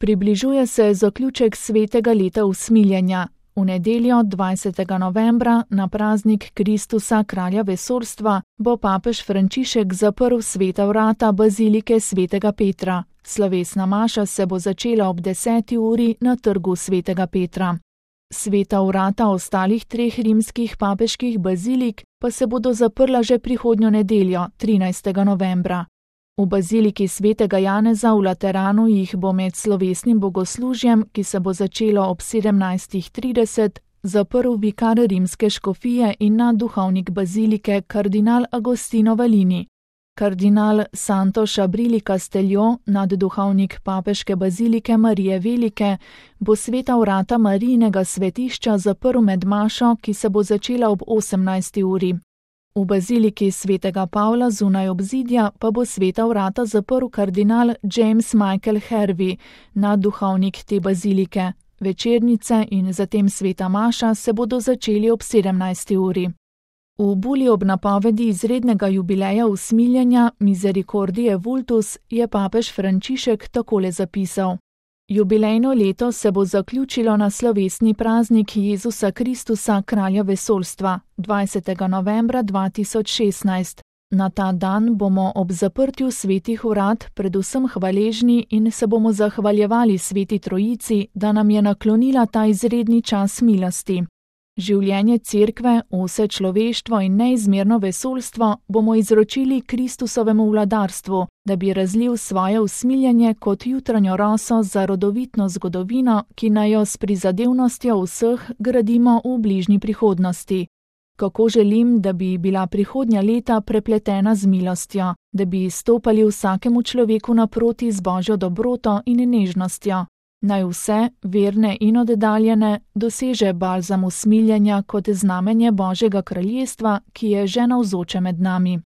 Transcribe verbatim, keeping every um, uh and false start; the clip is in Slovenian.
Približuje se zaključek svetega leta usmiljenja. V nedeljo dvajsetega novembra na praznik Kristusa, kralja vesoljstva, bo papež Frančišek zaprl sveta vrata bazilike svetega Petra. Slovesna maša se bo začela ob deseti uri na trgu svetega Petra. Sveta vrata ostalih treh rimskih papeških bazilik pa se bodo zaprla že prihodnjo nedeljo, trinajstega novembra. V baziliki svetega Janeza v Lateranu jih bo med slovesnim bogoslužjem, ki se bo začelo ob sedemnajstih trideset, zaprl vikar rimske škofije in nadduhovnik bazilike kardinal Agostino Valini. Kardinal Santo Šabrili Castello, nadduhovnik papeške bazilike Marije Velike, bo sveta vrata Marijinega svetišča zaprl med mašo, ki se bo začela ob osemnajsti uri. V baziliki svetega Pavla zunaj obzidja pa bo sveta vrata zaprl kardinal James Michael Hervey, nadduhovnik te bazilike. Večernice in zatem sveta maša se bodo začeli ob sedemnajsti uri. V buli ob napovedi izrednega jubileja usmiljenja Misericordie Vultus je papež Frančišek takole zapisal: Jubilejno leto se bo zaključilo na slovesni praznik Jezusa Kristusa, kralja vesoljstva, dvajsetega novembra dva tisoč šestnajst. Na ta dan bomo ob zaprtju svetih vrat predvsem hvaležni in se bomo zahvaljevali sveti Trojici, da nam je naklonila ta izredni čas milosti. Življenje cerkve, vse človeštvo in neizmerno vesoljstvo bomo izročili Kristusovemu vladarstvu, da bi razlil svoje usmiljenje kot jutranjo roso za rodovitno zgodovino, ki naj jo s prizadevnostjo vseh gradimo v bližnji prihodnosti. Kako želim, da bi bila prihodnja leta prepletena z milostjo, da bi stopali vsakemu človeku naproti z Božjo dobroto in nežnostjo. Naj vse, verne in oddaljene, doseže balzam usmiljenja kot znamenje Božjega kraljestva, ki je že navzoče med nami.